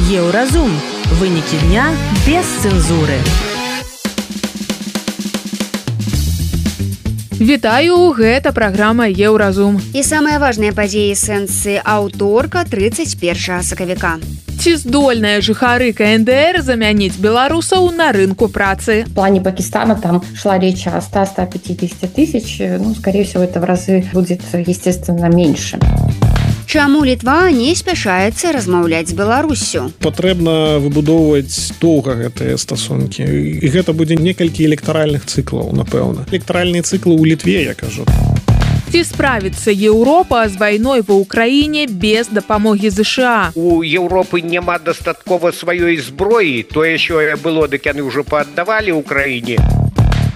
Еўразум. Вынікі дня без цэнзуры. Вітаю, гэта праграма Еўразум. І самыя важныя падзеі сэнсы аўторка 31 сакавіка. Ці здольныя жыхары КНДР замяніць беларусаў на рынку працы? В плане Пакистана там шла речь о 100-150 тысяч. Скорее всего, это в разы будет, естественно, меньше. Чаму Літва не спяшаецца размаўляць з Беларуссю? Патрэбна выбудоўваць доўга гэтыя стасункі. І гэта будзе некалькі электаральных цыклаў, напэўна. Электаральныя цыклы ў Літве, я кажу. Ці справіцца Еўропа з вайной ва ўкраіне без дапамогі ЗША? У Еўропы няма дастаткова сваёй зброі. Тое, що было, дык яны ўжо пааддавалі ўкраіне.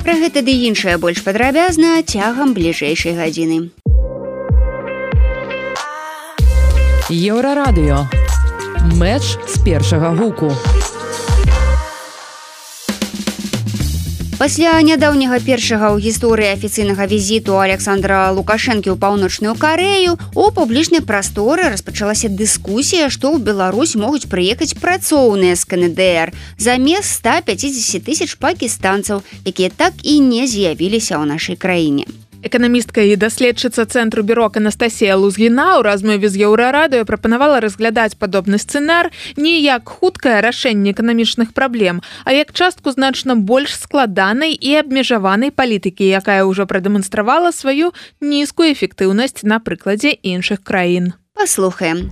Пра гэта ды іншае больш падрабязна цягам бліжэйшай гадзіны. Еўрарадыё. Мэч з першага гуку. Пасля нядаўняга першага ў гісторыі афіцыйнага візіту Александра Лукашэнкі ў паўночную Карэю у публічнай прасторы распачалася дыскусія, што ў Беларусь могуць прыехаць працоўныя з КНДР замест 150 тысяч пакістанцаў, якія так і не з'явіліся ў нашай краіне. Эканамістка і даследчыца Цэнтру Бюрок Анастасія Лузгіна ў размове з Еўрарадыё прапанавала разглядаць падобны сцэнар не як хуткае рашэнне эканамічных праблем, а як частку значна больш складанай і абмежаванай палітыкі, якая ўжо прадэманстравала сваю нізкую эфектыўнасць на прыкладзе іншых краін. Послухаем.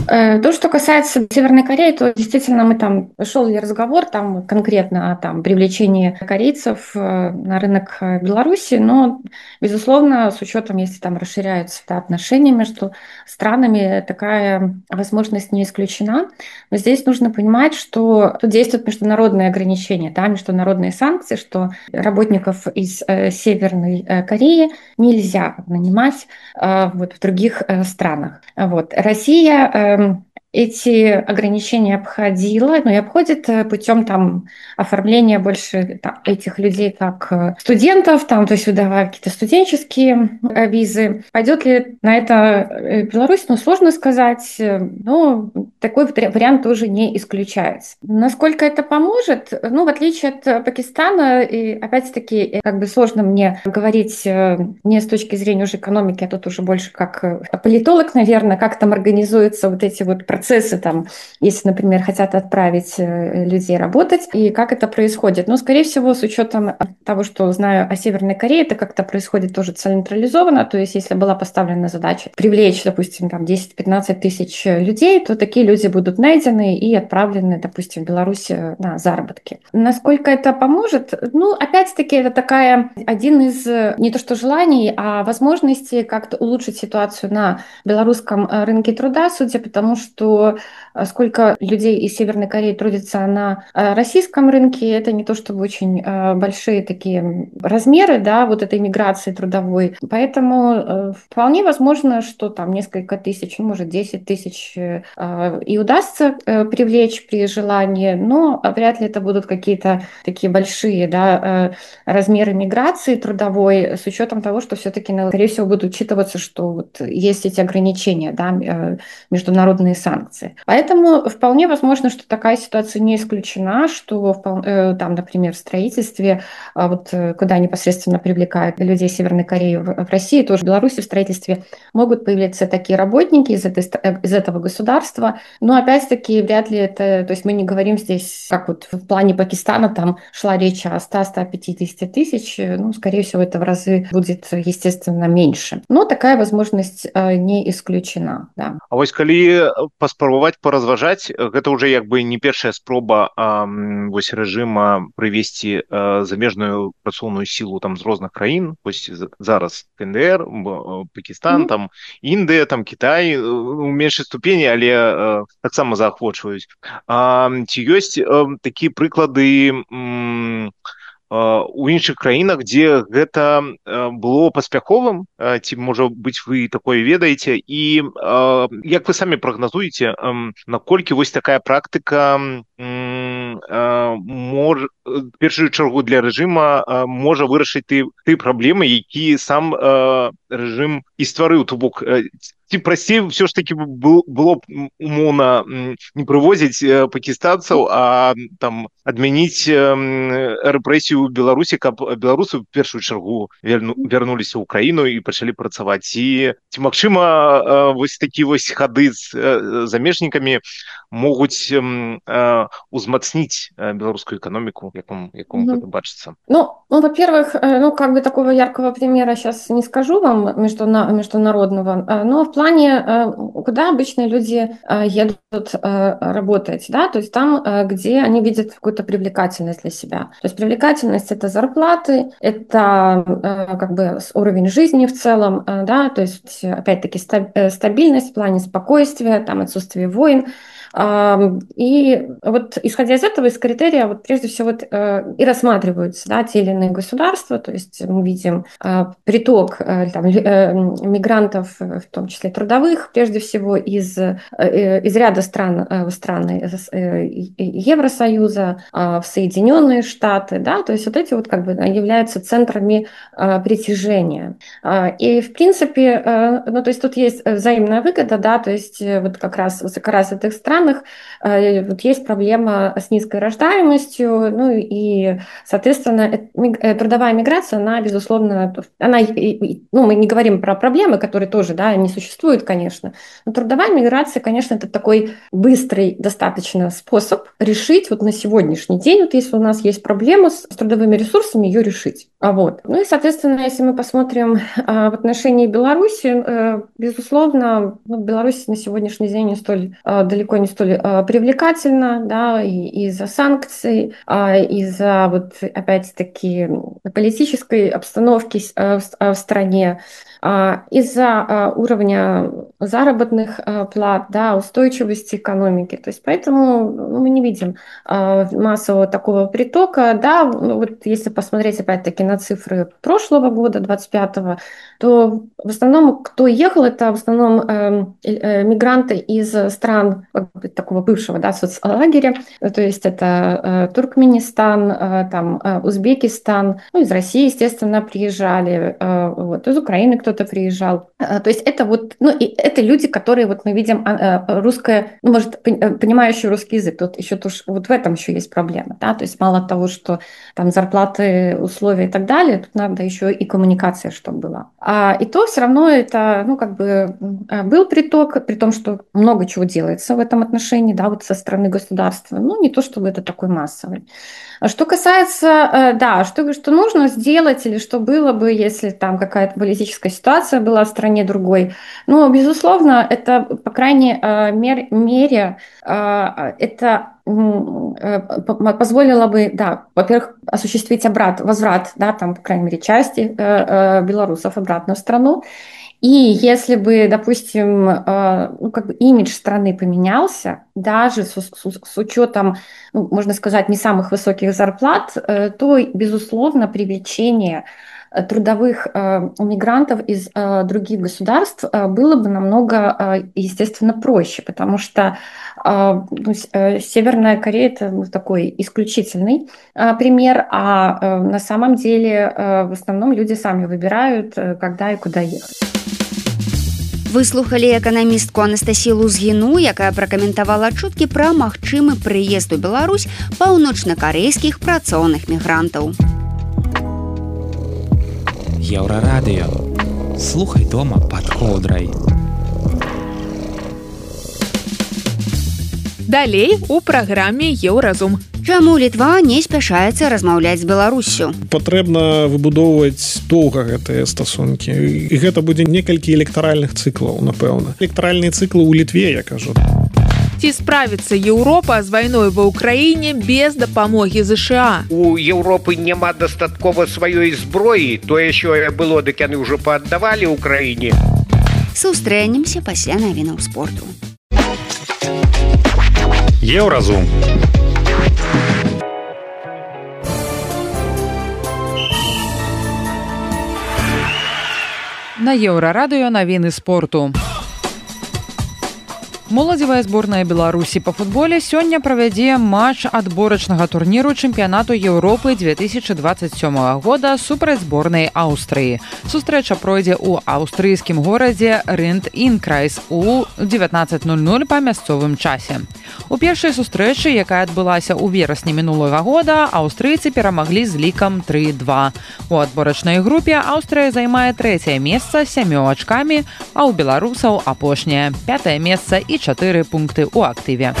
То, что касается Северной Кореи, то действительно шел разговор конкретно о привлечении корейцев на рынок Беларуси, но, безусловно, с учетом, если там расширяются отношения между странами, такая возможность не исключена. Но здесь нужно понимать, что тут действуют международные ограничения, международные санкции, что работников из Северной Кореи нельзя нанимать в других странах. Россия эти ограничения обходила, и обходит путем оформления больше этих людей как студентов, то есть выдавая какие-то студенческие визы. Пойдет ли на это Беларусь? Сложно сказать, но такой вариант тоже не исключается. Насколько это поможет? В отличие от Пакистана, и опять-таки, сложно мне говорить не с точки зрения уже экономики, а тут уже больше как политолог, наверное, как там организуются эти процессы, если, например, хотят отправить людей работать, и как это происходит. Скорее всего, с учетом того, что знаю о Северной Корее, это как-то происходит тоже централизованно, то есть если была поставлена задача привлечь, допустим, 10-15 тысяч людей, то такие люди будут найдены и отправлены, допустим, в Беларусь на заработки. Насколько это поможет? Опять-таки, это один из не то что желаний, а возможностей как-то улучшить ситуацию на белорусском рынке труда, судя по тому, что сколько людей из Северной Кореи трудится на российском рынке, это не то чтобы очень большие такие размеры, этой миграции трудовой. Поэтому вполне возможно, что несколько тысяч, может 10 тысяч и удастся привлечь при желании, но вряд ли это будут какие-то такие большие размеры миграции трудовой, с учетом того, что все-таки, скорее всего, будет учитываться, что есть эти ограничения, международные санкции. Поэтому вполне возможно, что такая ситуация не исключена, что например, в строительстве, куда непосредственно привлекают людей Северной Кореи в России, тоже в Беларуси в строительстве могут появляться такие работники из этого государства. Но опять-таки вряд ли это, то есть мы не говорим здесь, как в плане Пакистана, шла речь о 100-150 тысяч, скорее всего, это в разы будет, естественно, меньше. Но такая возможность не исключена. Да. А вось калі паспрабаваць паразважаць, гэта ўжо не першая спроба рэжыма прывесці замежную працоўную сілу з розных краін. Вось зараз КНДР, Пакістан, Індыя, Кітай у меншай ступені, але таксама заахвочваюць. Ці ёсць такія прыклады у іншых краінах, дзе гэта было паспяховым, ці, можа быць, вы такое ведаеце, і як вы самі прагназуеце, наколькі вось такая практыка першую чаргу для рэжыма можа вырашыць ты праблемы, якія сам рэжым і стварыў. То бок ці прасцей ўсё ж таки было б умоўна не прывозіць пакістанцаў, а там адмяніць рэпрэсію ў Беларусі, каб беларусы в першую чаргу вярнуліся ў краіну і пачалі працаваць. Ці магчыма вось такі вось хады з замежнікамі могуць узмацніць беларускую экономику, якому это бачится? Ну, во-первых, как бы такого яркого примера сейчас не скажу вам международного, но в плане, куда обычно люди едут работать, да, то есть там, где они видят какую-то привлекательность для себя. То есть привлекательность — это зарплаты, это как бы уровень жизни в целом, да, то есть опять-таки стабильность в плане спокойствия, там отсутствие войн. И вот исходя из этого, из критерия, вот прежде всего и рассматриваются, да, те или иные государства, то есть мы видим приток там, мигрантов, в том числе трудовых, прежде всего из ряда стран Евросоюза в Соединенные Штаты, да, то есть вот эти вот как бы являются центрами притяжения. И в принципе, ну то есть тут есть взаимная выгода, да, то есть вот как раз в этих странах вот есть проблема с низкой рождаемостью, ну и, соответственно, трудовая миграция, она, безусловно, мы не говорим про проблемы, которые тоже, да, не существуют, конечно, но трудовая миграция, конечно, это такой быстрый достаточно способ решить вот на сегодняшний день, вот если у нас есть проблема с трудовыми ресурсами, ее решить. Вот. Ну и, соответственно, если мы посмотрим в отношении Беларуси, безусловно, Беларусь на сегодняшний день далеко не столь привлекательна, да, и из-за санкций, из-за вот опять-таки политической обстановки в стране, из-за уровня заработных плат, да, устойчивости экономики. То есть поэтому мы не видим массового такого притока. Да, вот если посмотреть опять-таки на цифры прошлого года, 25-го, то в основном, кто ехал, это в основном мигранты из стран такого бывшего, да, соцлагеря, то есть это Туркменистан, там Узбекистан, ну, из России, естественно, приезжали, вот, из Украины кто-то приезжал. То есть это вот, ну, и это люди, которые вот мы видим русское, ну, может, понимающие русский язык. Тут еще вот в этом еще есть проблема, да, то есть мало того, что там зарплаты, условия и так далее, тут надо еще и коммуникация, чтобы была. И то все равно это, ну, как бы был приток, при том, что много чего делается в этом отношении, да, вот со стороны государства, ну, не то, чтобы это такой массовый. Что касается, да, что нужно сделать или что было бы, если там какая-то политическая ситуация была в стране другой, ну, безусловно, это, по крайней мере, это позволило бы, да, во-первых, осуществить возврат, да, там, по крайней мере, части белорусов обратно в страну. И если бы, допустим, ну, как бы имидж страны поменялся, даже с учетом, ну, можно сказать, не самых высоких зарплат, то, безусловно, привлечение трудовых мигрантов из других государств было бы намного, естественно, проще, потому что Северная Корея — это такой исключительный пример, а на самом деле в основном люди сами выбирают, когда и куда ехать. Вы слухали эканамістку Анастасію Лузгіну, якая пракаментавала чуткі пра магчымы прыезд у Беларусь паўночнакарэйскіх працоўных мігрантаў. Еўрарадыё. Слухай дома пад коўдрай. Далей у праграме «Еўразум». Чаму Літва не спяшаецца размаўляць з Беларуссю? Патрэбна выбудоўваць доўга гэтыя стасункі. І гэта будзе некалькі электаральных цыклаў, напэўна. Электаральныя цыклы ў Літве, я кажу. Ці справіцца Еўропа з вайной ва ўкраіне без дапамогі ЗША? У Еўропы няма дастаткова сваёй зброі. Тое, що было, дык яны ўжо пааддавалі ўкраіне. Сустрэнемся пасля навінаў спорту. Еўразум. На Еўрарадыё навіны спорту. Моладзевая зборная Беларусі па футболе сёння правядзе матч адборачнага турніру чэмпіянату Еўропы 2027 года супраць зборнай Аўстрыі. Сустрэча пройдзе ў аўстрыйскім горадзе Рент-Інкрайс у 19:00 па мясцовым часе. У першай сустрэчы, якая адбылася ў верасні мінулага года, аўстрыйцы перамаглі з лікам 3-2. У адборачнай групе Аўстрыя займае 3-е месца з 7 ачкамі, а ў беларусаў апошняе 5-е месца і 4 пункты ў актыве.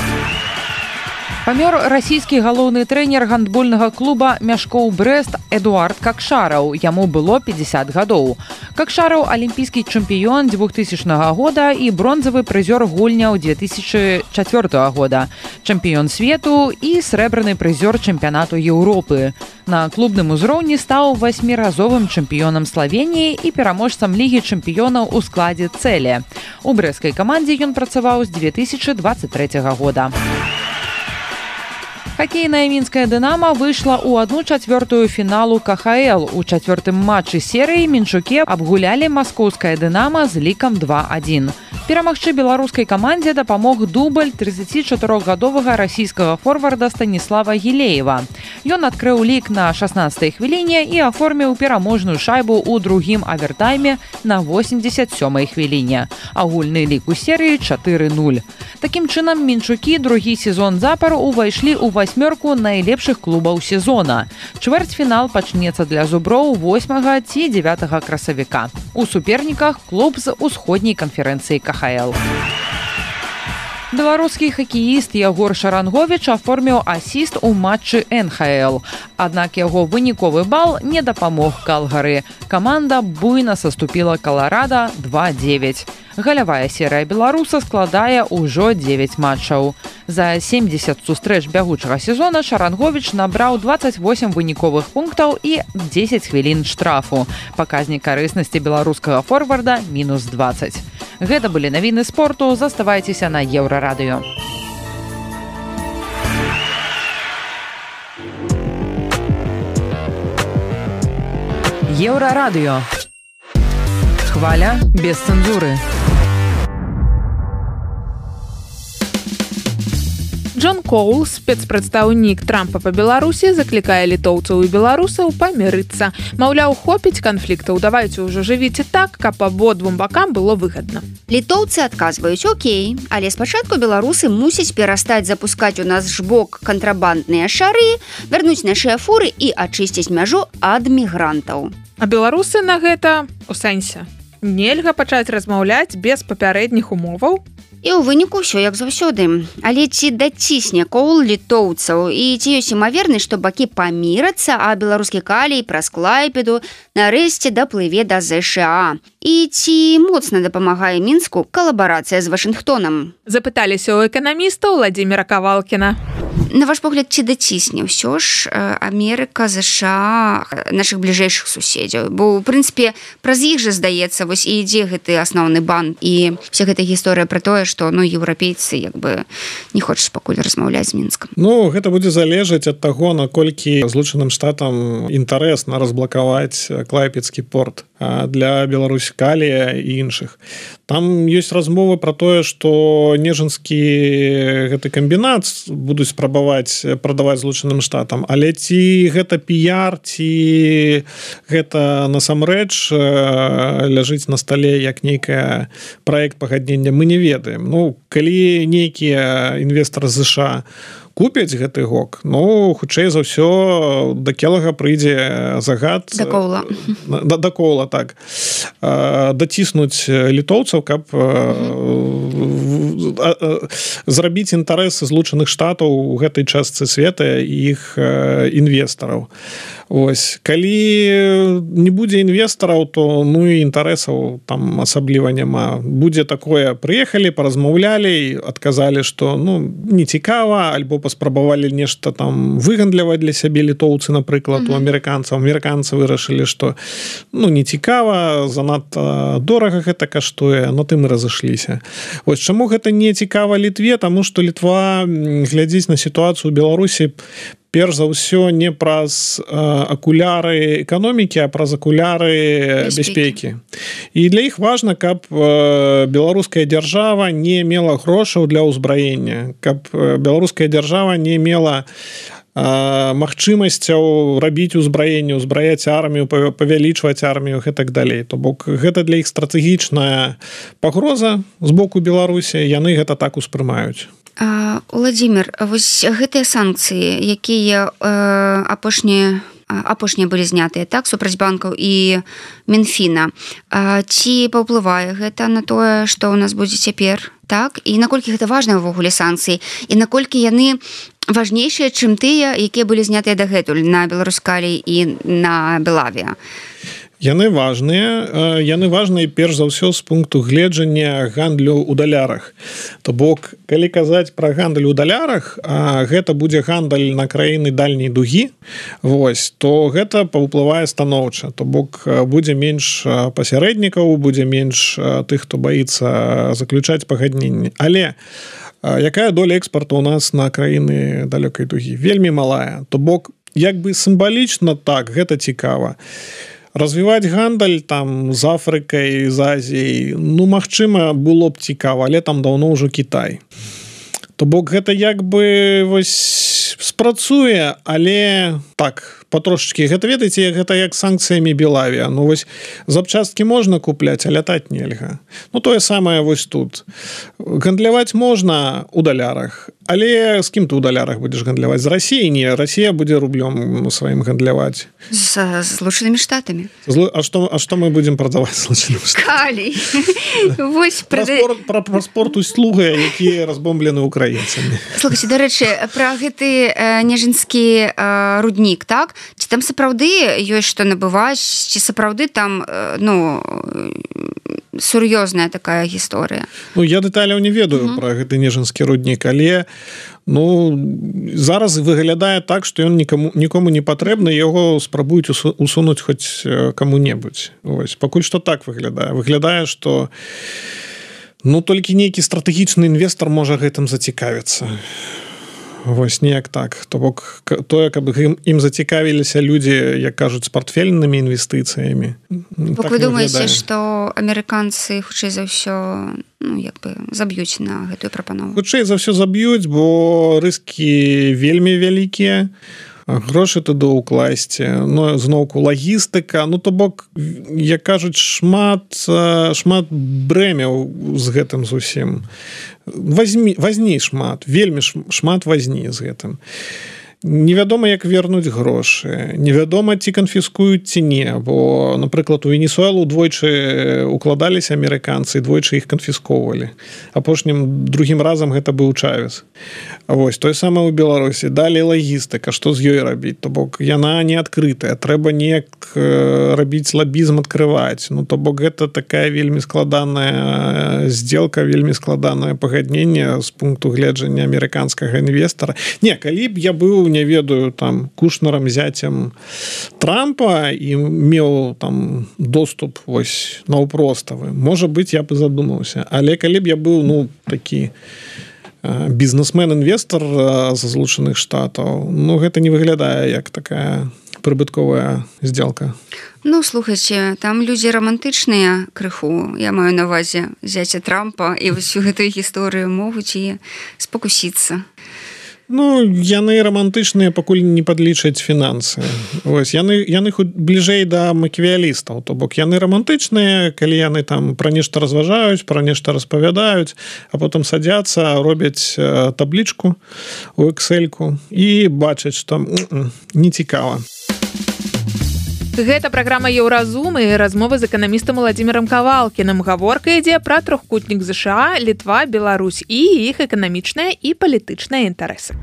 Памёр расійскі галоўны трэнер гандбольнага клуба Мяшкоў Брэст Эдуард Какшараў. Яму было 50 гадоў. Какшараў алімпійскі чэмпіён 2000 года і бронзавы прызёр гульняў 2004 года, чэмпіён свету і срэбраны прызёр чэмпіянату Еўропы. На клубным узроўні стаў 8-разовым чэмпіёнам Славеніі і пераможцам лігі чэмпіёнаў у складзе Цэле. У брэсцкай камандзе ён працаваў з 2023 года. Хакейная мінская «Дынамо» выйшла ў 1/4 фіналу КХЛ. У чацвёртым матчы серыі мінчукі абгулялі маскоўскае «Дынамо» з лікам 2-1. Перамагчы беларускай камандзе дапамог дубль 34-гадовага расійскага форварда Станіслава Гілеева. Ён адкрыў лік на 16-й хвіліне і аформіў пераможную шайбу ў другім авертайме на 87-й хвіліне. Агульны лік у серыі 4-0. Такім чынам мінчукі другі сезон запар увайшлі ў 8 найлепшых клубаў сезона. Чвэрцьфінал пачнецца для зуброў 8 ці 9 красавіка. У суперніках клуб з усходняй канферэнцыі КХЛ. Беларускі хакеіст Ягор Шаранговіч аформіў асіст у матчы НХЛ. Аднак яго выніковы бал не дапамог Калгары. Каманда буйна саступіла Каларада 2-9. Галявая серыя беларуса складае ўжо 9 матчаў. За 70 сустрэч бягучага сезона Шаранговіч набраў 28 выніковых пунктаў і 10 хвілін штрафу. Паказнік карыснасці беларускага форварда -20. Гэта былі навіны спорту. Заставайцеся на Еўрарадыё. Еўрарадыё. Хваля без цэнзуры. Джон Коул, спецпрадстаўнік Трампа па Беларусі, заклікае літоўцаў і беларусаў памірыцца. Маўляў, хопіць канфліктаў, давайце ўжо жывіце так, каб абодвум бакам было выгадна. Літоўцы адказваюць: окей, але спачатку беларусы мусяць перастаць запускаць у наш бок кантрабандныя шары, вярнуць нашыя фуры і ачысціць мяжу ад мігрантаў. А беларусы на гэта у сэнсе. Нельга пачаць размаўляць без папярэдніх умоваў? І ў выніку ўсё як заўсёды. Але ці дацісне Коул літоўцаў і ці ёсць імавернасць, што бакі памірацца, а беларускі калій праз Клайпеду нарэшце даплыве да ЗША? І ці моцна дапамагае Мінску калабарацыя з Вашынгтонам? Запыталіся ў эканаміста Владзіміра Кавалкіна. На ваш погляд, ці дацісне ўсё ж Амерыка, ЗША, нашых бліжэйшых суседзяў? Бо, ў прынцыпе, праз іх жа, здаецца, вось і ідзе гэты асноўны бан. І вся гэта гісторыя пра тое, што еўрапейцы як бы не хочуць пакуль размаўляць з Мінскам. Ну, гэта будзе залежаць ад таго, наколькі Злучаным Штатам інтарэсна разблакаваць Клайпедскі порт для Беларусі, калія і іншых. Там ёсць размовы пра тое, што Нежынскі гэты камбінат будуць спрабаваць прадаваць Злучаным Штатам, але ці гэта піяр, ці гэта насамрэч ляжыць на стале як нейкая праект пагаднення, мы не ведаем. Ну, калі нейкія інвестары ЗША купяць гэты гок, ну, хутчэй за ўсё да Келага прыйдзе загад да Коула, так, даціснуць літоўцаў, каб зрабіць інтарэсы Злучаных Штатаў у гэтай частцы света і іх інвестараў. Ось, калі не будзе інвестараў, то ну і інтарэсаў там асабліва няма. Будзе такое, прыехалі, паразмаўлялі, адказалі, што ну не цікава, альбо паспрабавалі нешта там выгандляваць для сябе літоўцы, напрыклад, у амерыканцаў. Амерыканцы вырашылі, што ну не цікава, занадта дорага гэта каштуе, на тым і разышліся. Вось чаму гэта не цікава Літве? Таму што Літва глядзіць на сітуацыю ў Беларусі перш за ўсё не праз акуляры эканомікі, а праз акуляры бяспекі. І для іх важна, каб беларуская дзяржава не мела грошаў для ўзбраення, каб беларуская дзяржава не мела магчымасцяў рабіць узбраенне, узбраяць армію, павялічваць армію і так далей. То бок гэта для іх стратэгічная пагроза з боку Беларусі, яны гэта так успрымаюць. Уладзімир, вось гэтыя санкцыі, якія апошнія былі знятыя, так, супраць банкаў і Мінфіна, ці паўплывае гэта на тое, што ў нас будзе цяпер, так? І наколькі гэта важныя ўвогуле санкцыі, і наколькі яны важнейшыя, чым тыя, якія былі знятыя дагэтуль на Беларускалі і на Белавіа? Яны важныя перш за ўсё з пункту гледжання гандлю ў далярах. То бок, калі казаць пра гандаль у далярах, гэта будзе гандаль на краіны дальняй дугі, вось, то гэта паўплывае станоўча. То бок, будзе менш пасярэднікаў, будзе менш тых, хто баіцца заключаць пагадненні. Але якая доля экспарту ў нас на краіны далёкай дугі? Вельмі малая. То бок, як бы сімвалічна так, гэта цікава. Развіваць гандаль там з Афрыкай, з Азіяй, ну, магчыма, было б цікава, але там даўно ўжо Кітай. То бок гэта як бы вось спрацуе, але так, патрошачкі. Гэта, ведаеце, гэта як санкцыямі Белавіа. Ну, вось запчасткі можна купляць, а лятаць нельга. Ну, тое самае вось тут. Гандляваць можна ў далярах, але з кім ты ў далярах будзеш гандляваць? З Расіяй? Не, Расія будзе рублём сваім гандляваць. З Злучанымі Штатамі. А што мы будзем прадаваць Злучанымі Штатамі? Калій. Вось пра спорт услуга, якія разбомблены украінцамі. Слухайце, дарэчы, пра гэты Нежинскі руднік, так? Ці там сапраўды ёсць што набываць, ці сапраўды там, ну, сур'ёзная такая гісторыя? Ну, я дэталяў не ведаю пра гэты Нежинскі руднік, але ну, зараз выглядае так, што ён нікому не патрэбны, яго спрабуюць усунуць хоць каму-небудзь. Ось, пакуль што так выглядае. Выглядае, што ну, толькі нейкі стратэгічны інвестар можа гэтым зацікавіцца. Вось, неяк так. То бок, тое, каб ім зацікавіліся людзі, як кажуць, з партфельнымі інвестыцыямі. Бок, вы думаеце, што амерыканцы хутчэй за ўсё, ну, як бы заб'юць на гэтую прапанову? Хутчэй за ўсё заб'юць, бо рыскі вельмі вялікія, грошы туды ўкласці, ну, зноўку лагістыка, ну, то бок, як кажуць, шмат брэмяў з гэтым зусім. Вазні шмат, вельмі шмат вазні з гэтым. Невядома, як вернуць грошы, невядома, ці канфіскуюць, ці не, бо, напрыклад, у Венесуэлу двойчы укладаліся амерыканцы, двойчы іх канфісковалі. Апошнім другім разам гэта быў Чавес. Вось, тое самае ў Беларусі. Далей лагістыка, што з ёй рабіць? То бок, яна не адкрытая, трэба неяк рабіць лабізм, адкрываць. Ну, то бок, гэта такая вельмі складаная здзелка, вельмі складанае пагадненне з пункту гледжання амерыканскага інвестара. Не, калі б я быў, не ведаю, там, Кушнерам, зяцем Трампа і меў там доступ вось наўпроставы, можа быць, я б задумаўся. Але калі б я быў, ну, такі бізнесмен-інвестор з Злучаных Штатаў, ну, гэта не выглядае як такая прыбытковая здзелка. Ну, слухайце, там людзі рамантычныя крыху, я маю на ўвазе зяця Трампа, і ўсю гэтую гісторыю могуць і спакусіцца. Ну, яны рамантычныя, пакуль не падлічаць фінансы. Вось, яны бліжэй да макіявелістаў. То бок, яны рамантычныя, калі яны там пра нешта разважаюць, пра нешта распавядаюць, а потым садзяцца, робяць таблічку у Excel-ку і бачаць, што не цікава. Гэта праграма «Еўразум» і размовы з эканамістам Уладзімірам Кавалкіным. Гаворка ідзе пра трохкутнік ЗША, Літва, Беларусь і іх эканамічныя і палітычныя інтарэсы.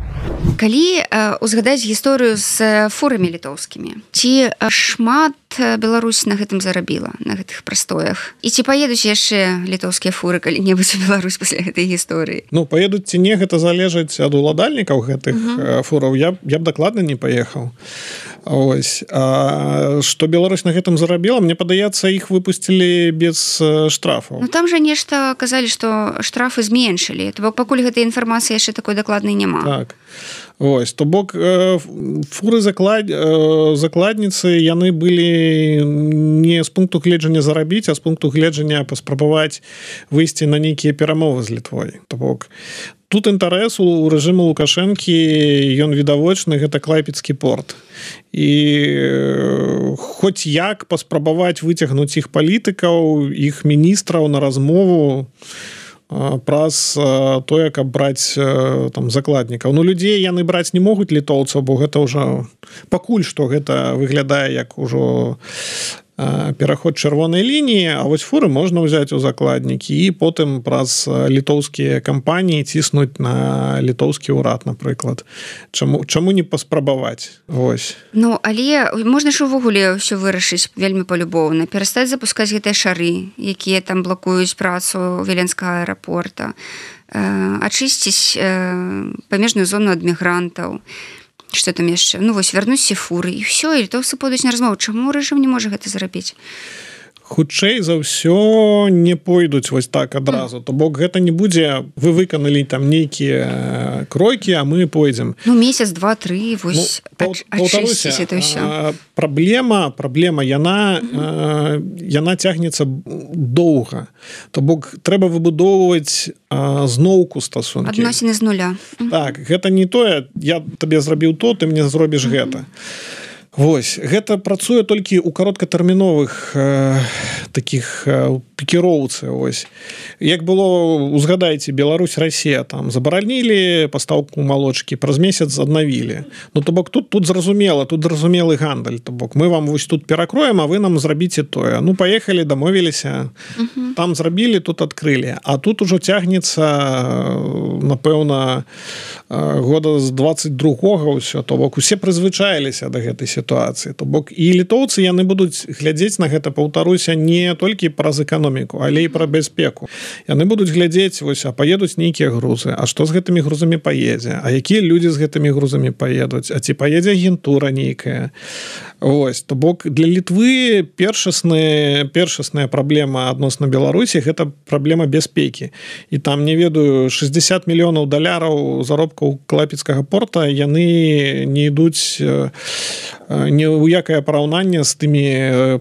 Калі узгадаць гісторыю з фурамі літоўскімі, ці шмат Беларусь на гэтым зарабіла, на гэтых прастоях? І ці паедуць яшчэ літоўскія фуры калі-небудзь у Беларусь пасля гэтай гісторыі? Ну, паедуць ці не, гэта залежыць ад уладальнікаў гэтых фураў. Я б дакладна не паехаў. Ось. Што Беларусь на гэтым зарабіла, мне падаецца, іх выпусцілі без штрафаў. Ну, там жа нешта казалі, што штрафы зменшылі. То бок, пакуль гэтай інфармацыі яшчэ такой дакладнай няма. Так. Ось, то бок фуры закладніцы яны былі не з пункту гледжання зарабіць, а з пункту гледжання паспрабаваць выйсці на нейкія перамовы з Літвой. То бок тут інтарэс у рэжыму Лукашэнкі ён відавочны, гэта клайпецкі порт. І хоць як паспрабаваць выцягнуць іх палітыкаў, іх міністраў на размову праз тое, каб браць там закладнікаў. Ну, людзей яны браць не могуць, літоўцаў, бо гэта ўжо пакуль што гэта выглядае як ужо пераход чырвонай лініі, а вось фуры можна ўзяць у закладнікі і потым праз літоўскія кампаніі ціснуць на літоўскі ўрад, напрыклад. Чаму не паспрабаваць? Вось. Ну, але можна ж увогуле ўсё вырашыць вельмі палюбоўна. Перастаць запускаць гэтыя шары, якія там блакуюць працу Віленскага аэрапорта, ачысціць памежную зону ад мігрантаў, что там яшчэ? Ну, вось, вярнуць фуры, і ўсё, і літоўцы пойдуць на размову. Чаму рэжым не можа гэта зрабіць? Хутчэй за ўсё не пойдуць вось так адразу. То бок гэта не будзе, вы выканалі там нейкія кройкі, а мы пойдзем. Ну, месяц, два, тры, вось, ачысціць это ўсё. Праблема, яна цягнецца доўга. То бок трэба выбудоўваць зноўку стасункі. Адносіны з нуля. Так, гэта не тое, я табе зрабіў то, ты мне зробіш гэта. Вось, гэта працуе толькі ў кароткатэрміновых такіх пікіроўцы. Вось. Як было, узгадайце, Беларусь, Расія, там забаранілі пастаўку малочкі, праз месяц аднавілі. Ну, то бок тут зразумела, тут зразумелы гандаль. То бок мы вам вось тут перакроем, а вы нам зрабіце тое. Ну, паехалі, дамовіліся, там зрабілі, тут адкрылі. А тут ужо цягнецца, напэўна, года з 22-го ўсё. То бок усе прызвычаіліся да гэтай сітуацыі. То бок і літоўцы яны будуць глядзець на гэта, паўтаруся, не толькі праз эканоміку, але і пра бяспеку. Яны будуць глядзець, вось, а паедуць нейкія грузы, а што з гэтымі грузамі паедзе, а якія людзі з гэтымі грузамі паедуць, а ці паедзе агентура нейкая. Вось, то бок для Літвы першасная праблема адносна Беларусі — гэта праблема бяспекі. І там, не ведаю, 60 мільёнаў даляраў заробкаў клайпецкага порта, яны не ідуць ні ў якае параўнанне з тымі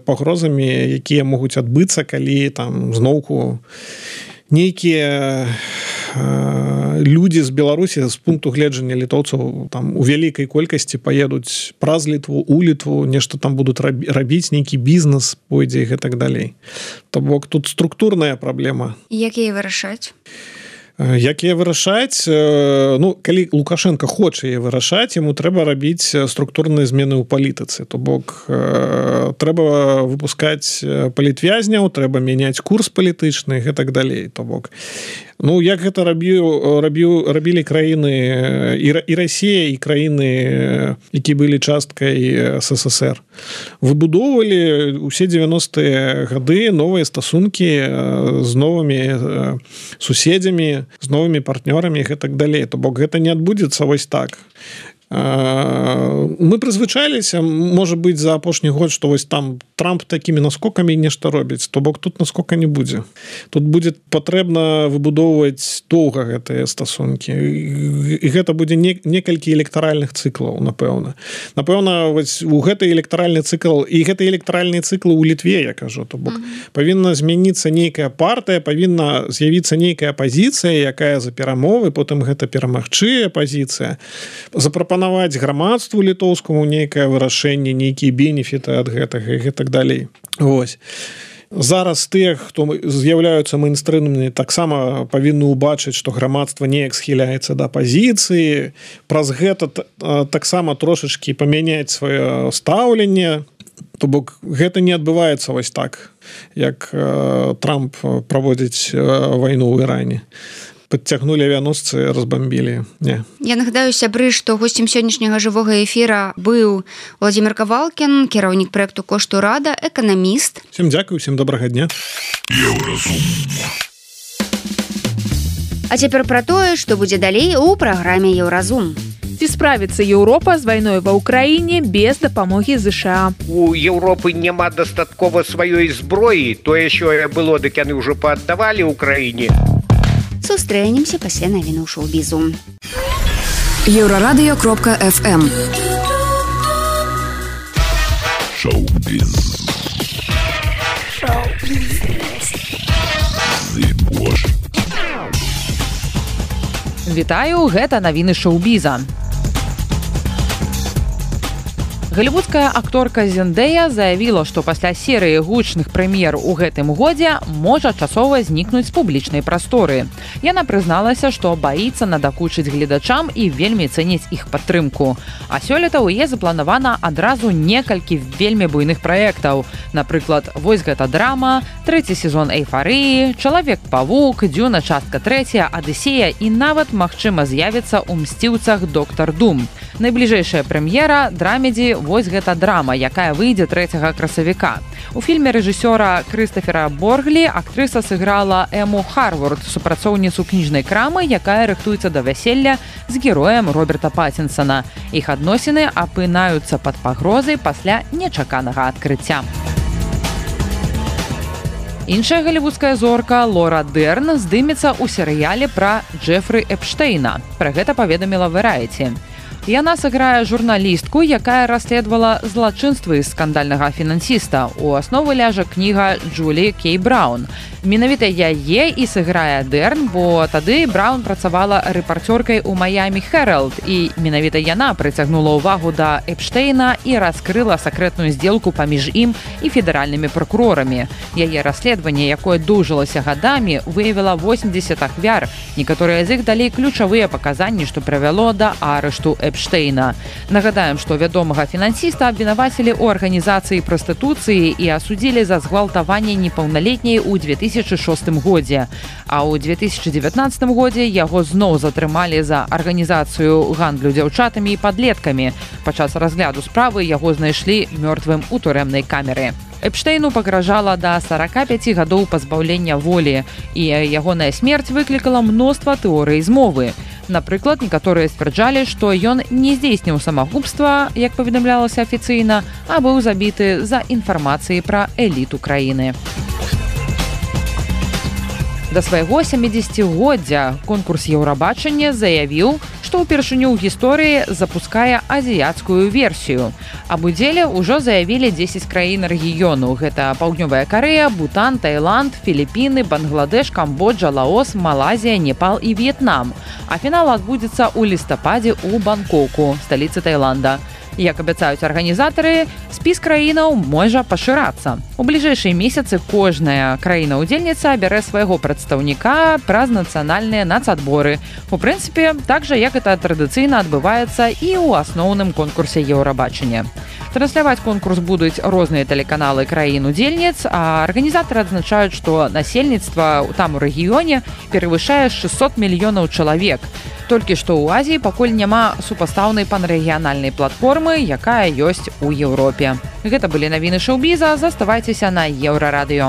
пагрозамі, якія могуць адбыцца, калі там зноўку нейкія людзі з Беларусі з пункту гледжання літоўцаў там у вялікай колькасці паедуць праз Літву, у Літву, нешта там будуць рабіць, нейкі бізнес пойдзе і гэтак далей. То бок тут структурная праблема. Як яе вырашаць? Як яе вырашаць? Ну, калі Лукашенко хоча яе вырашаць, яму трэба рабіць структурныя змены ў палітыцы. То бок трэба выпускаць палітвязняў, трэба мяняць курс палітычны і гэтак далей. То бок ну, як гэта рабілі краіны і Расія, і краіны, які былі часткай СССР. Выбудоўвалі ўсе 90-е гады новыя стасункі з новымі суседзямі, з новымі партнёрамі і гэтак далей. То бок гэта не адбудзецца вось так. Мы прызвычаліся, можа быць, за апошні год, што вось там Трамп такімі наскокамі нешта робіць, то бок тут наскока не будзе. Тут будзе патрэбна выбудоўваць доўга гэтыя стасункі. І гэта будзе некалькі электаральных цыклаў, напэўна. Напэўна, вось у гэты электаральны цыкл, і гэты электаральныя цыклы ў Літве, я кажу, то бок павінна змяніцца нейкая партыя, павінна з'явіцца нейкая пазіцыя, якая за перамовы, потым гэта перамагчы пазіцыя, запрапанаваць грамадству літоўскаму нейкае вырашэнне, нейкія бенефіты ад гэтага і гэтак далей. Вось. Зараз тыя, хто з'яўляюцца мэйнстрымнымі, таксама павінны ўбачыць, што грамадства неяк схіляецца да пазіцыі, праз гэта таксама трошачкі памяняць сваё стаўленне. То бок гэта не адбываецца вось так, як Трамп праводзіць вайну ў Іране. Подцягнулі авіаносцы, разбамбілі. Не. Я нагадаю, сябры, што госцем сённяшняга жывога эфіра быў Владзімир Кавалкін, кіраўнік праекту «Кошт урада», эканаміст. Всем дзякуй, всем добрага дня. А цяпер пра тое, што будзе далей у праграме «Еўразум». Ці справіцца Еўропа з вайной ва ўкраіне без дапамогі ЗША? У Еўропы няма дастаткова сваёй зброі. Тое, що было, дык яны ўжо пааддавалі ўкраіне. Сустрэнемся пасля навіну шоу-бізу. Еврорадио.FM. Шоу-биз. Вітаю, гэта навіны шоу-біза. Голливудская акторка Зендея заявіла, што пасля серыі гучных прэм'ер у гэтым годзе можа часова знікнуць з публічнай прасторы. Яна прызналася, што баіцца надакучыць гледачам і вельмі цэніць іх падтрымку. А сёлета ў яе запланавана адразу некалькі вельмі буйных праектаў. Напрыклад, вось гэта драма, 3-й сезон «Эйфарыі», «Чалавек-павук», «Дзюна. Частка 3», «Адысея» і нават, магчыма, з'явіцца ў «Мсціўцах» «Доктар Дум». Найбліжэйшая прэм'ера драмедзі «Вось гэта драма», якая выйдзе 3 красавіка. У фільме рэжысёра Крыстафера Борглі актрыса сыграла Эму Харворд, супрацоўніцу кніжнай крамы, якая рыхтуецца да вяселля з героем Роберта Паттінсана. Іх адносіны апынаюцца пад пагрозай пасля нечаканага адкрыцця. Іншая голливудская зорка Лора Дерн здымецца ў серыяле пра Джефры Эпштейна. Пра гэта паведаміла Variety. Яна сыграе журналістку, якая расследавала злачынствы скандальнага фінансіста. У аснову ляжа кніга Джулі Кей Браун. Менавіта яе і сыграе Дерн, бо тады Браун працавала рэпарцёркай у Майами Herald, і менавіта яна прыцягнула ўвагу да Эпштейна і раскрыла сакрэтную здзелку паміж ім і федэральнымі пракурорамі. Яе расследаванне, якое доўжылася гадамі, выявіла 80 ахвяр. Некаторыя з іх далі ключавыя паказанні, што прывяло да арышту Эпштейна. Нагадаем, што вядомага фінансіста абвінавацілі ў арганізацыі прастытуцыі і асудзілі за згвалтаванне непаўналетняй у 2006 годзе. А ў 2019 годзе яго зноў затрымалі за арганізацыю гандлю дзяўчатамі і падлеткамі. Падчас разгляду справы яго знайшлі мёртвым у турэмнай камеры. Эпштейну пагражала да 45 гадоў пазбаўлення волі, і ягоная смерць выклікала мноства тэорый змовы. Напрыклад, некаторыя сцвярджалі, што ён не здзейсніў самагубства, як паведамлялася афіцыйна, а быў забіты за інфармацыяй пра эліту краіны. Да свайго 70-годдзя конкурс Еўрабачання заявіў, што ўпершыню ў гісторыі запускае азіяцкую версію. Аб удзеле ўжо заявілі 10 краін рэгіёну. Гэта Паўднёвая Карэя, Бутан, Таіланд, Філіпіны, Бангладеш, Камбоджа, Лаос, Малайзія, Непал і В'етнам. А фінал адбудзецца ў лістападзе ў Бангкоку, сталіцы Таіланда. Як абяцаюць арганізатары, спіс краінаў можа пашырацца. У бліжэйшыя месяцы кожная краіна-удзельніца бярэ свайго прадстаўніка праз нацыянальныя нацадборы. У прынцыпе, так жа, як гэта традыцыйна адбываецца і ў асноўным конкурсе Еўрабачання. Трансляваць конкурс будуць розныя тэлеканалы краін-удзельніц, а арганізатары адзначаюць, што насельніцтва там у рэгіёне перавышае 600 мільёнаў чалавек. Толькі што ў Азіі пакуль няма супастаўнай панрэгіянальнай платформы, якая ёсць у Еўропе. Гэта былі навіны шоу-біза, заставайцеся на Еўрарадыё.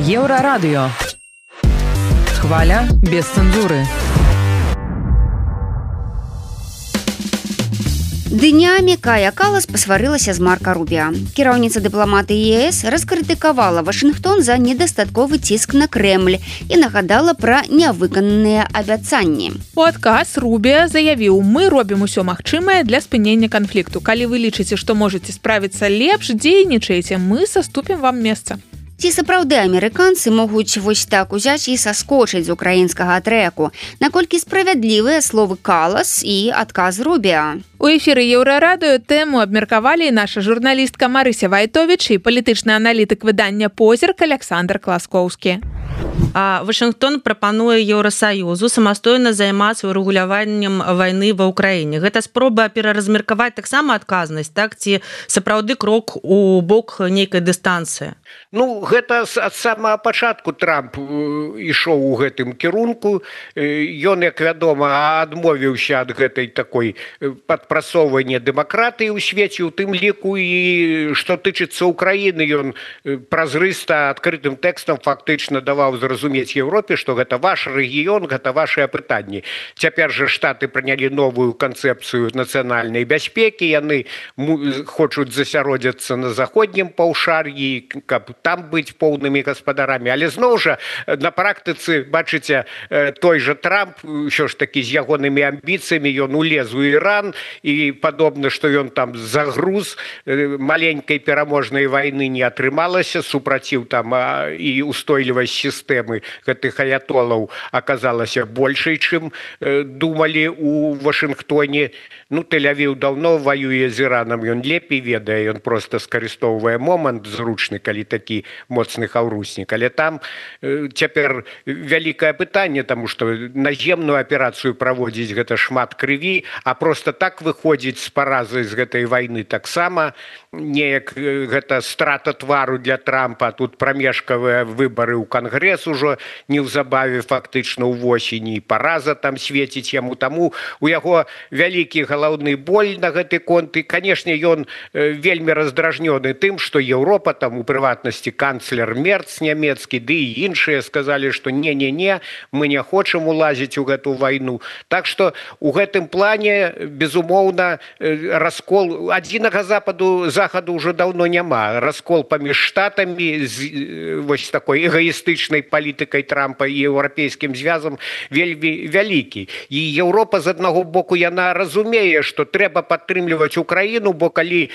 Еўрарадыё. Хваля без цэнзуры. Днямі Кая Калас пасварылася з Марка Рубіа. Кіраўніца дыпламатыі ЕС раскрытыкавала Вашынгтон за недастатковы ціск на Крэмль і нагадала пра нявыкананыя абяцанні. У адказ Рубіа заявіў: «Мы робім усё магчымае для спынення канфлікту. Калі вы лічыце, што можаце справіцца лепш, дзейнічаеце, мы саступім вам месца». Ці сапраўды амерыканцы могуць вось так узяць і саскочыць з украінскага трэку? Наколькі справядлівыя словы Калас і адказ Рубіа? У эфіры Еўрарадыё тэму абмеркавалі наша журналістка Марыся Вайтовіч і палітычны аналітык выдання «Позірк» Александр Класкоўскі. Вашынгтон прапануе Еўрасаюзу самастойна займацца урэгуляваннем вайны ва ўкраіне. Гэта спроба пераразмеркаваць таксама адказнасць, так, ці сапраўды крок у бок нейкай дыстанцыі? Ну, гэта ад самага пачатку Трамп ішоў у гэтым кірунку. Ён, як вядома, адмовіўся ад гэтай такой падпрасоўвання дэмакратыі ў свеце, у тым ліку і што тычыцца Украіны, ён празрыста адкрытым тэкстам фактычна даваў зразумець Еўропе, што гэта ваш рэгіён, гэта вашыя пытанні. Цяпер жа Штаты прынялі новую канцэпцыю нацыянальнай бяспекі, яны хочуць засяродзіцца на заходнім паўшар'і, каб там быць поўнымі гаспадарамі. Але зноў жа, на практыцы, бачыце, той жа Трамп, ўсё ж такі з ягонымі амбіцыямі, ён улез у Іран, і падобна, што ён там загруз маленькай пераможнай вайны не атрымалася, супраціў там і устойлівасць сістэмы гэтых аятолаў аказалася большай, чым думалі у Вашынгтоне. Ну, Тель-Авіў даўно ваюе з Іранам, ён лепей ведае, ён проста скарыстоўвае момант зручны, калі такі моцны хаўруснік. Але там цяпер вялікае пытанне, таму што наземную аперацыю праводзіць гэта шмат крыві, а проста так выходзіць з паразы з гэтай вайны таксама неяк гэта страта твару для Трампа. Тут прамежкавыя выбары ў Кангрэс ужо неўзабаве фактычна ўвосені, параза там свеціць яму, таму у яго вялікі галаўны боль на гэты конт. І, канешне, ён вельмі раздражнёны тым, што Еўропа, там у прыватнасці канцлер Мерц нямецкі, ды і іншыя сказалі, што не-не-не, мы не хочам улазіць у гэту вайну. Так што у гэтым плане, безумоўна, раскол адзінага захаду ўжо даўно няма. Раскол паміж штатамі з вось такой эгоістычнай палітыкай Трампа і еўрапейскім звязам вельмі вялікі. І Еўропа з аднаго боку яна разумее, што трэба падтрымліваць Украіну, бо калі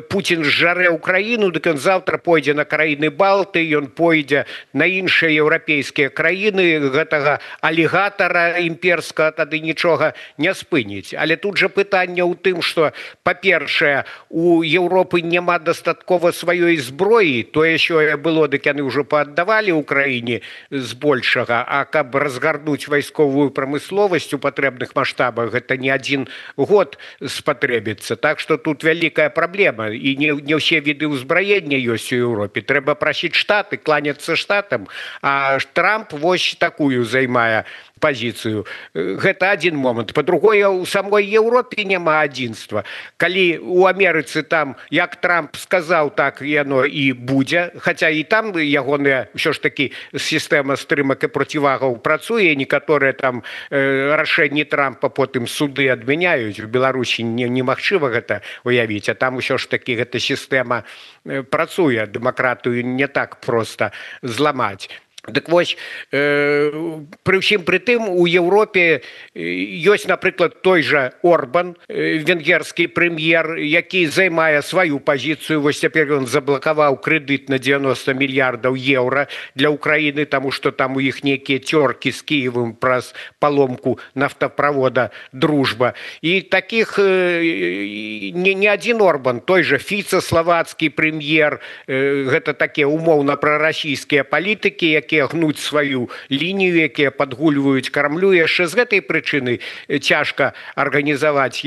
Пуцін зжарэ Украіну, дык ён заўтра пойдзе на краіны Балты, ён пойдзе на іншыя еўрапейскія краіны, гэтага алігатара імперскага тады нічога не спыніць. Але тут жа пытанне ў тым, што, па-першае, у Еўропы няма дастаткова сваёй зброі, тое, що было, дык яны ўжо пааддавалі ўкраіне збольшага, а каб разгарнуць вайсковую прамысловасць у патрэбных маштабах, гэта не адзін год спатрэбіцца. Так што тут вялікая праблема, і не ўсе віды ўзбраення ёсць у Еўропе. Трэба прасіць штаты, кланяцца штатам, а Трамп вось такую займае пазіцыю. Гэта адзін момант. Па-другое, у самой Еўропе няма адзінства. Калі у Амерыцы там, як Трамп сказаў, так яно і будзе, хаця і там ягоная ўсё ж такі сістэма стрымак і процівагаў працуе, некаторыя там рашэнні Трампа потым суды адмяняюць. У Беларусі немагчыма гэта уявіць, а там усё ж такі гэта сістэма працуе, дэмакратыю не так проста зламаць. Дык вось, пры ўсім пры тым, у Еўропе ёсць, напрыклад, той жа Орбан, венгерскі прэм'ер, які займае сваю пазіцыю. Вось цяпер ён заблакаваў крэдыт на 90 мільярдаў еўра для Украіны, таму што там у іх нейкія цёркі з Кіевым праз паломку нафтаправода «Дружба». І такіх не адзін Орбан, той жа Фіца, славацкі прэм'ер, гэта такія умоўна прарасійскія палітыкі, якія гнуць сваю лінію, якія падгульваюць кармлю. Яшчэ з гэтай прычыны цяжка арганізаваць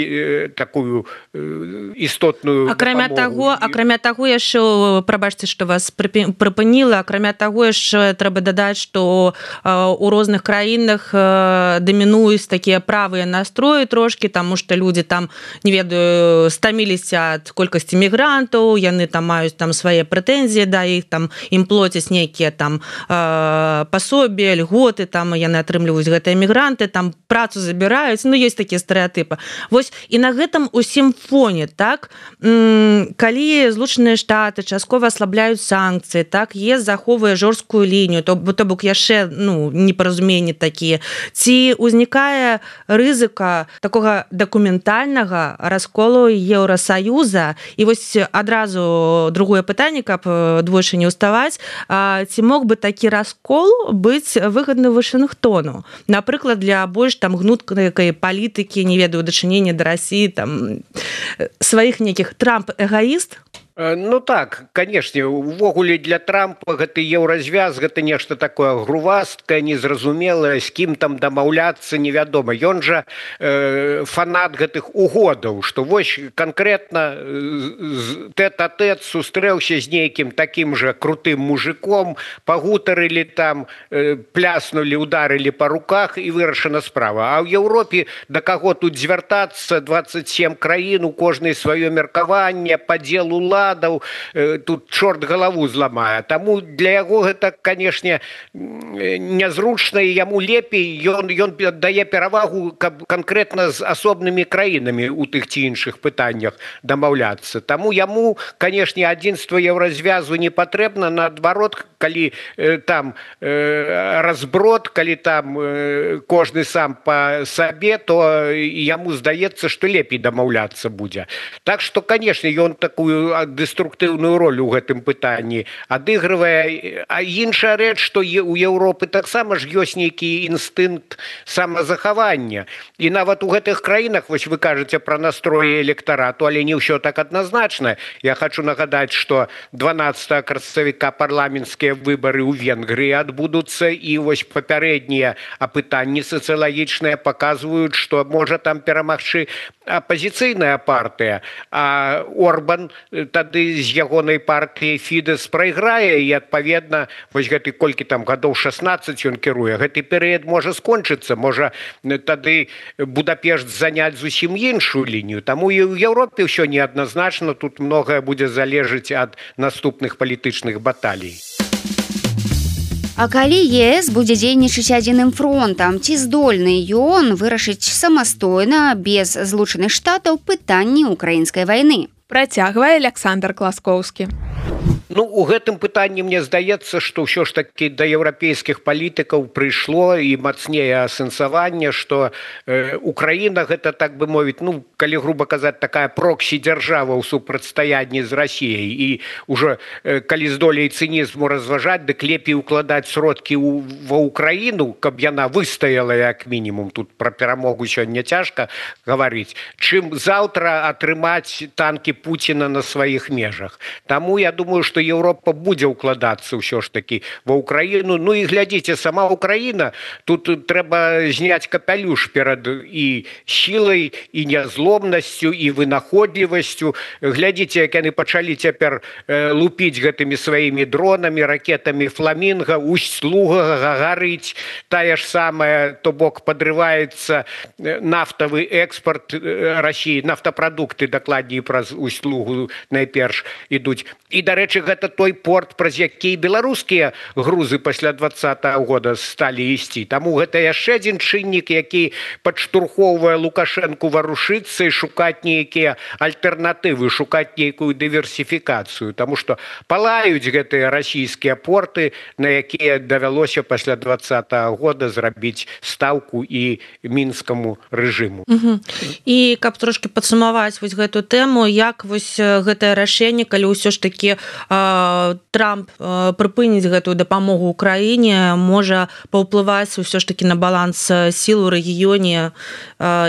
такую істотную дапамогу. Акрамя таго, яшчэ, прабачце, што вас прыпыніла, акрамя таго, яшчэ трэба дадаць, што у розных краінах дамінуюць такія правыя настроі трошкі, таму што людзі там, не ведаю, стаміліся ад колькасці мігрантаў, яны там маюць там свае прэтэнзіі да іх, там ім плоцяць нейкія там пасобі, льготы, там яны атрымліваюць гэтыя мігранты, там працу забіраюць, ну, ёсць такія стэрэатыпы. Вось, і на гэтым усім фоне, так, калі Злучаныя Штаты часткова аслабляюць санкцыі, так, ЕС захоўвае жорсткую лінію, то бок яшчэ, ну, непаразуменні такія, ці ўзнікае рызыка такога дакументальнага расколу Еўрасаюза? І вось адразу другое пытанне, каб двойчы не ўставаць, ці мог бы такі раскол быць выгадны Вашынгтону, напрыклад, для больш там гнуткай палітыкі, не ведаю, дачынення да Расіі, там сваіх нейкіх. Трамп эгоіст? Ну так, канешне, увогуле для Трампа гэты еўразвяз, гэта нешта такое грувасткае, незразумелае, з кім там дамаўляцца невядома. Ён жа фанат гэтых угодаў, што вось канкрэтна тэт-а-тэт сустрэўся з нейкім такім жа крутым мужиком, пагутарылі там, пляснулі, ударылі па руках і вырашана справа. А ў Еўропе да каго тут звяртацца? 27 краін, у кожнай сваё меркаванне, падзел улад, складаў, тут чорт галаву зламае. Таму для яго гэта, канешне, нязручна, і яму лепей, ён дае перавагу, каб канкрэтна з асобнымі краінамі у тых ці іншых пытаннях дамаўляцца. Таму яму, канешне, адзінства еўразвязу не патрэбна, наадварот, калі там разброд, калі там кожны сам па сабе, то яму здаецца, што лепей дамаўляцца будзе. Так што, канешне, ён такую дэструктыўную ролю ў гэтым пытанні адыгрывае. А іншая рэч, што у Еўропы таксама ж ёсць нейкі інстынкт самазахавання. І нават у гэтых краінах, вось вы кажаце пра настроі электарату, але не ўсё так адназначна. Я хочу нагадаць, што 12 красавіка парламенцкія выбары ў Венгрыі адбудуцца, і вось папярэднія апытанні сацыялагічныя паказваюць, што можа там перамагчы апазіцыйная партыя, а Орбан тады з ягонай партыяй Фідэс прайграе, і адпаведна вось гэты колькі там гадоў 16 ён кіруе, гэты перыяд можа скончыцца, можа тады Будапешт заняць зусім іншую лінію. Таму і ў Еўропе ўсё неадназначна, тут многае будзе залежыць ад наступных палітычных баталій. А калі ЕС будзе дзейнічаць адзіным фронтам, ці здольны ён вырашыць самастойна, без злучаных штатаў, пытанні украінскай вайны? Працягвае Александр Класкоўскі. Ну, у гэтым пытанні мне здаецца, што ўсё ж такі да еўрапейскіх палітыкаў прыйшло і мацнее асэнсаванне, што Украіна гэта, так бы мовіць, ну, калі груба казаць, такая проксі-дзяржава ў супрацьстаянні з Расіяй. І ўжо калі з доляй цынізму разважаць, дык лепей укладаць сродкі ва Украіну, каб яна выстаяла як мінімум, тут пра перамогу сёння цяжка гаварыць, чым заўтра атрымаць танкі Пуціна на сваіх межах. Таму я думаю, што Еўропа будзе ўкладацца ўсё ж такі ва Украіну. Ну і глядзіце, сама Украіна, тут трэба зняць капялюш перад і сілай, і нязломнасцю, і вынаходлівасцю. Глядзіце, як яны пачалі цяпер лупіць гэтымі сваімі дронамі, ракетамі Фламінга, Усть-Луга гарыць, тая ж самая, то бок падрываецца нафтавы экспорт Расіі, нафтапрадукты, дакладней праз Усть-Лугу найперш ідуць. І, дарэчы, гэта той порт, праз які беларускія грузы пасля 20-го года сталі ісці. Таму гэта яшчэ адзін чыннік, які падштурхоўвае Лукашэнку варушыцца і шукаць нейкія альтэрнатывы, шукаць нейкую дыверсіфікацыю. Таму што палаюць гэтыя расійскія порты, на якія давялося пасля 20-го года зрабіць стаўку і мінскаму рэжыму. І каб трошки падсумаваць вось гэту тэму, як вось гэтае рашэнне, калі ўсё ж такі Трамп прыпыніць гэтую дапамогу Украіне, можа паўплываць ўсё ж такі на баланс сіл у рэгіёне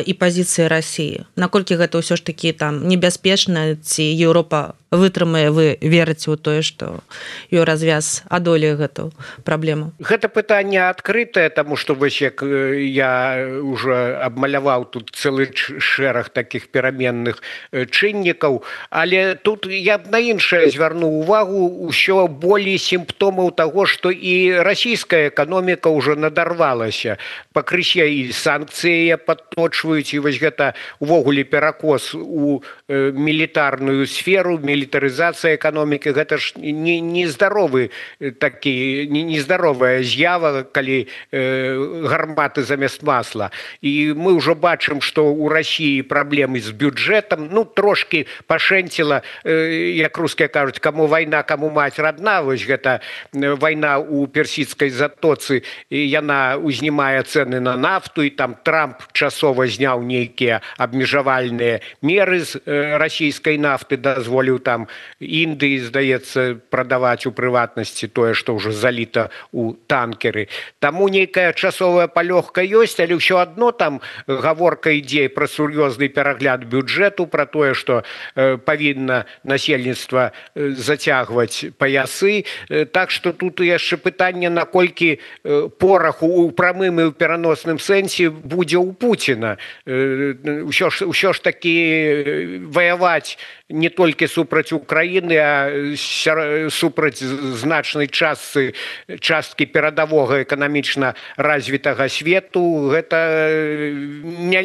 і пазіцыі Расіі. Наколькі гэта ўсё ж такі там небяспечна, ці Еўропа вытрымае, вы верыце ў тое, што еўразвяз адолее гэту праблему? Гэта пытанне адкрытае, таму што вось як я ўжо абмаляваў тут цэлы шэраг такіх пераменных чыннікаў, але тут я б на іншае звярнуў увагу, ўсё болей сімптомаў таго, што і расійская эканоміка ўжо надарвалася. Пакрысе і санкцыі падточваюць, і вось гэта увогуле перакос у мілітарную сферу, мілітарызацыя эканомікі, гэта ж нездаровы такі, нездаровая з'ява, калі гарматы замест масла. І мы ўжо бачым, што ў Расіі праблемы з бюджэтам, ну, трошки пашэнціла, як рускія кажуць, каму вайна, каму маць родна, вось гэта вайна ў персідскай затоцы, і яна узнімае цэны на нафту, і там Трамп часова зняў нейкія абмежавальныя меры з расійскай нафты, дазволіў там Індыі, здаецца, прадаваць у прыватнасці тое, што ўжо заліта ў танкеры. Таму нейкая часовая палёгка ёсць, але ўсё адно там гаворка ідзе пра сур'ёзны перагляд бюджэту, пра тое, што павінна насельніцтва зацягваць паясы. Так што тут яшчэ пытанне, наколькі порах у прамым і ў пераносным сэнсе будзе ў Пуціна. Усё ж такі ваяваць не толькі супраць супраць Украіны, а супраць значнай часткі перадавога эканамічна развітага свету. Гэта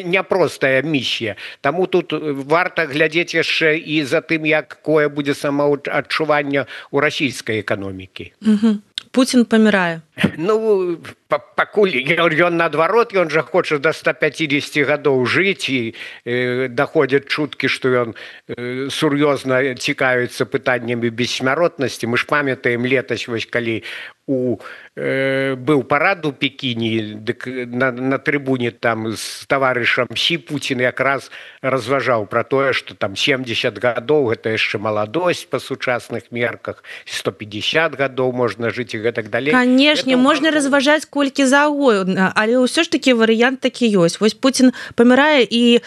няпростая місія. Таму тут варта глядзець яшчэ і за тым, якое будзе самаадчуванне ў расійскай эканомікі. Путин памірае. Ну, пакуль ён наадварот, ён жа хоча да 150 гадоў жыць, і даходзяць чуткі, што ён сур'ёзна цікавіцца пытаннямі бессмяротнасці. Мы ж памятаем летась, вось калі быў парад у Пекіне, на трыбуне там з таварышам Сі Путін якраз разважаў пра тое, што там 70 гадоў гэта яшчэ маладосць па сучасных мерках, 150 гадоў можна жыць і гэтак далей. Канешне, можна разважаць колькі заўгодна, але ўсё ж такі варыянт такі ёсць. Вось Путін памірае, і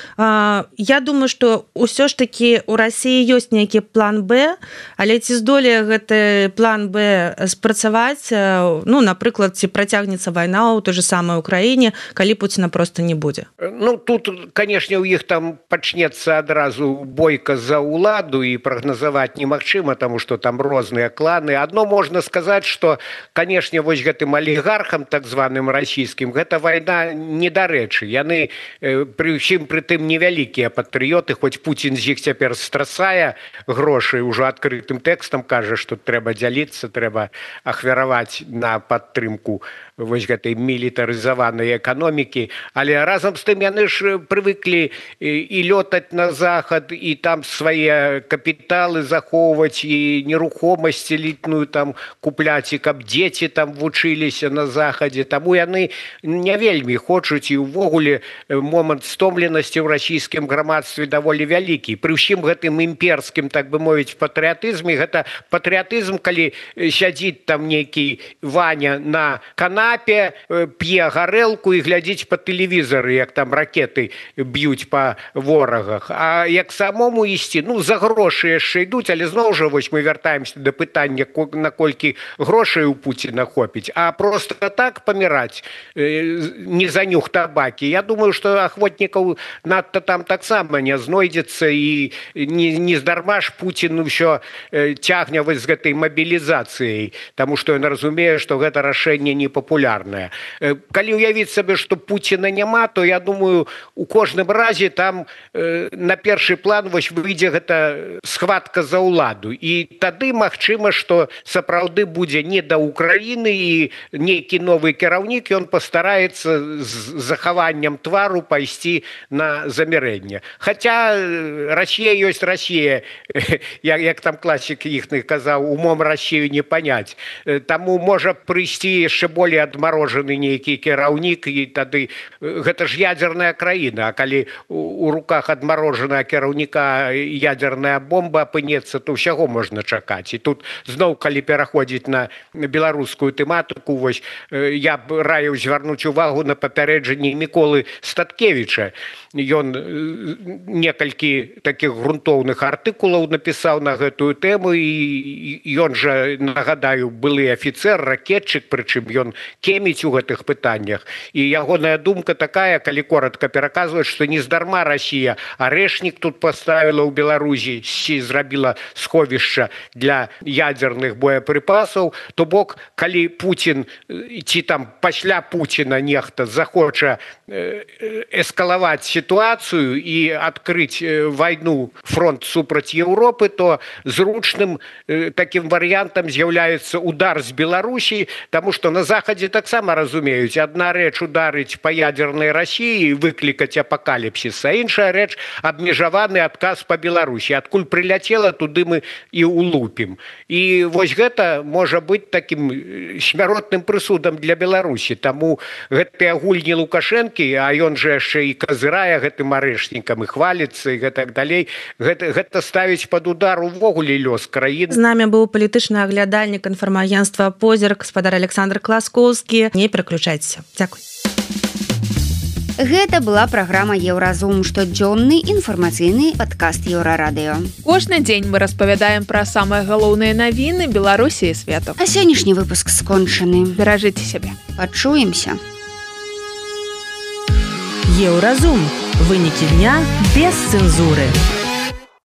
я думаю, што ўсё ж такі у Расіі ёсць нейкі план Б, але ці здолее гэты план Б спрацаваць, ну, напрыклад, ці працягнецца вайна ў той же самай Украіне, калі Пуціна проста не будзе. Ну, тут, канешне, у іх там пачнецца адразу бойка за ўладу, і прагназаваць немагчыма, таму што там розныя кланы. Адно можна сказаць, што, канешне, вось гэтым алігархам, так званым расійскім, гэта вайна недарэчы. Яны пры ўсім пры тым невялікія патрыёты, хоць Пуцін з іх цяпер страсае грошай, ужо адкрытым тэкстам кажа, што трэба дзяліцца, трэба ахвяраваць на падтрымку вось гэтай мілітарызаванай эканомікі, але разам з тым яны ж прывыклі і лётаць на захад, і там свае капіталы захоўваць, і нерухомасць элітную там купляць, і каб дзеці там вучыліся на захадзе. Таму яны не вельмі хочуць, і ўвогуле момант стомленасці ў расійскім грамадстве даволі вялікі. Пры ўсім гэтым імперскім, так бы мовіць, патрыятызме, гэта патрыятызм, калі сядзіць там нейкі Ваня на канапе, п'е гарэлку і глядзіць па тэлевізары, як там ракеты б'юць па ворагах. А як самому ісці, ну, за грошы яшчэ ідуць, але зноў жа вось мы вяртаемся да пытання, наколькі грошай у Пуціна хопіць, а просто так паміраць не за нюх табакі. Я думаю, што ахвотнікаў надта там таксама не знойдзецца, і не здарма ж Пуцін ўсё цягне вось з гэтай мабілізацыяй, таму што ён разумее, што гэта рашэнне непапулярнае. Калі ўявіць сабе, што Пуціна няма, то я думаю, у кожным разе там на першы план вось выйдзе гэта схватка за ўладу. І тады магчыма, што сапраўды будзе не да Украіны, і нейкі новы кіраўнік, ён пастараецца з захаваннем твару пайсці на замірэнне. Хаця Расія ёсць Расія, як там класік іхны казаў, умом Расію не паняць. Таму можа прыйсці яшчэ болей адмарожаны нейкі кіраўнік, і тады гэта ж ядзерная краіна, а калі у руках адмарожаная кіраўніка ядзерная бомба апынецца, то ўсяго можна чакаць. І тут зноў, калі пераходзіць на беларускую тэматыку, вось я б раіў звярнуць увагу на папярэджанні Міколы Статкевіча. Ён некалькі такіх грунтоўных артыкулаў напісаў на гэтую тэму, і ён жа, нагадаю, былы афіцэр, ракетчык, прычым ён кеміць у гэтых пытаннях. І ягоная думка такая, калі коротка пераказваць, што не здарма Расія арэшнік тут паставіла ў Беларусі, зрабіла сховішча для ядзерных боепрыпасаў. То бок, калі Пуцін, ці там пасля Пуціна нехта захоча эскалаваць сітуацыю і адкрыць вайну, фронт супраць Еўропы, то зручным такім варыянтам з'яўляецца удар з Беларусі, таму што на захадзе таксама разумеюць, адна рэч ударыць па ядзернай Расіі і выклікаць апакаліпсіс, а іншая рэч абмежаваны адказ па Беларусі. Адкуль прыляцела, туды мы і улупім. І вось гэта можа быць такім смяротным прысудам для Беларусі. Таму гэтыя гульні Лукашэнкі, а ён жа яшчэ і казырае гэтым арэшнікам, і хваліцца, і гэтак далей, гэта ставіць пад удар увогуле лёс краін. З намі быў палітычны аглядальнік інфармагенцтва «Позірк», гаспадар Александр Класкоўскі. Не пераключайцеся. Дзякуй. Гэта была праграма «Еўразум», штодзённы інфармацыйны падкаст Еўрарадыё. Кожны дзень мы распавядаем пра самыя галоўныя навіны Беларусі і свету. А сённяшні выпуск скончаны. Беражыце сябе. Пачуемся. Еўразум. Вынікі дня без цэнзуры.